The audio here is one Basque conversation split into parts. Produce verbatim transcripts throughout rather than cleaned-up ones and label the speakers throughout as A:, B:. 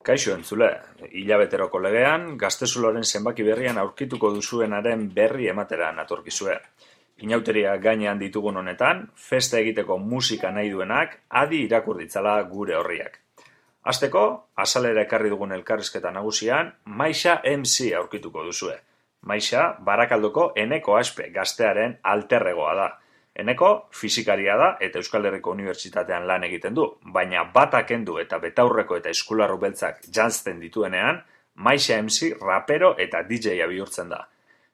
A: Kaixo entzule, hilabeteroko legean, Gaztezuloren zenbaki berrian aurkituko duzuenaren berri ematera natorkizue. Inauteria gainean ditugun honetan, festa egiteko musika nahi duenak, adi irakur ditzala gure horriak. Hasteko, azalera ekarri dugun elkarrizketa nagusian, Maixa M C aurkituko duzue. Maixa, Barakaldoko Eneko Aspe gaztearen alterregoa da. Eneko fisikaria da eta Euskal Herriko Unibertsitatean lan egiten du, baina bata kendu eta betaurreko eta eskularru beltzak janzten dituenean, Maixa M C rapero eta D J-a bihurtzen da.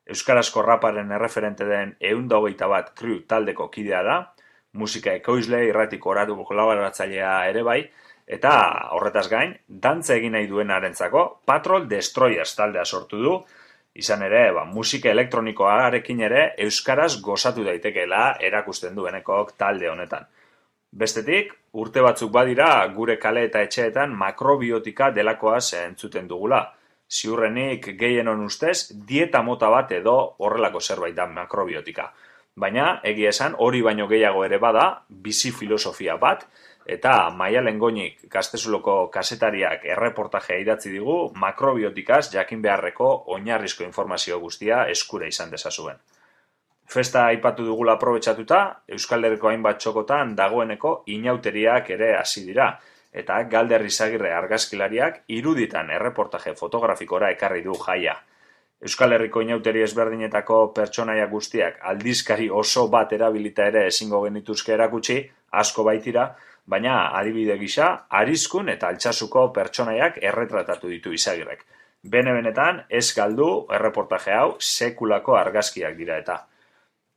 A: Euskarazko raparen erreferente den ehun eta hogeita bat crew taldeko kidea da, musika ekoizle, irratiko oratu kolaboratzailea ere bai, eta horretaz gain, dantza egin nahi duenarentzako Patrol Destroyers taldea sortu du, izan ere, ba, musika elektronikoarekin ere euskaraz gozatu daitekeela erakusten duenekok talde honetan. Bestetik, urte batzuk badira gure kale eta etxeetan makrobiotika delakoaz entzuten dugula. Ziurrenik gehienon ustez, dieta mota bat edo horrelako zerbait da makrobiotika. Baina, egia esan, hori baino gehiago ere bada, bizi filosofia bat, eta Maialen Goñik Gaztezuloko kazetariak erreportajea idatzi digu makrobiotikaz jakin beharreko oinarrizko informazio guztia eskura izan dezazuen. Festa aipatu dugula aprobetxatuta, Euskal Herriko hainbat txokotan dagoeneko inauteriak ere hasi dira, eta Galder Izagirre argazkilariak iruditan erreportaje fotografikora ekarri du jaia. Euskal Herriko inauteri ezberdinetako pertsonaia guztiak aldizkari oso bat erabilita ere ezingo genituzke erakutsi, asko baitira, baina adibide gisa, Arizkun eta Altsasuko pertsonaiak erretratatu ditu Izagirrek. Bene-benetan, ez galdu erreportaje hau sekulako argazkiak dira eta.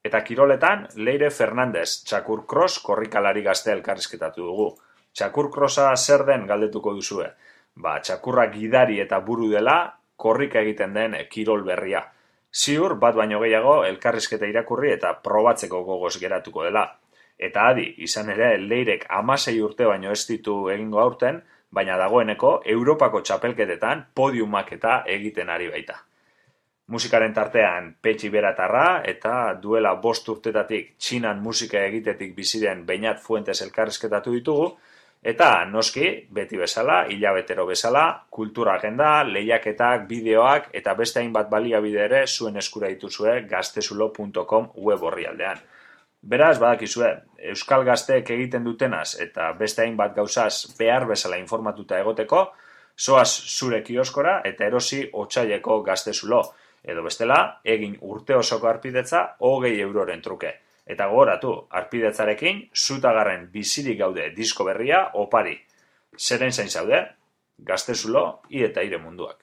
A: Eta kiroletan, Leire Fernandez, Txakur Cross korrikalari gazte elkarrizketatu dugu. Txakur Crossa zer den galdetuko duzue? Ba, txakurra gidari eta buru dela, korrika egiten den kirol berria. Ziur, bat baino gehiago elkarrizketa irakurri eta probatzeko gogoz geratuko dela. Eta adi, izan ere, Leirek hamasei urte baino ez ditu egingo aurten, baina dagoeneko Europako txapelketetan podiumak eta egiten ari baita. Musikaren tartean Petxi Beratarra eta duela bost urtetatik Txinan musika egitetik biziren Beñat Fuentes elkarrizketatu ditugu, eta noski, beti bezala, hilabetero bezala, kultura agenda, lehiaketak, bideoak eta beste hainbat baliabide ere zuen eskura dituzue gaztezulo puntu com web orrialdean. Beraz, badakizue, Euskal Gazteek egiten dutenaz eta beste hainbat gauzaz behar bezala informatuta egoteko, zoaz zure kioskora eta erosi otsaileko Gaztezulo, edo bestela, egin urte osoko arpidetza hogei euroren truke. Eta gogoratu, arpidetzarekin, zutagarren bizirik gaude disko berria opari. Zeren zain zaude? Gaztezulo, i eta ire munduak.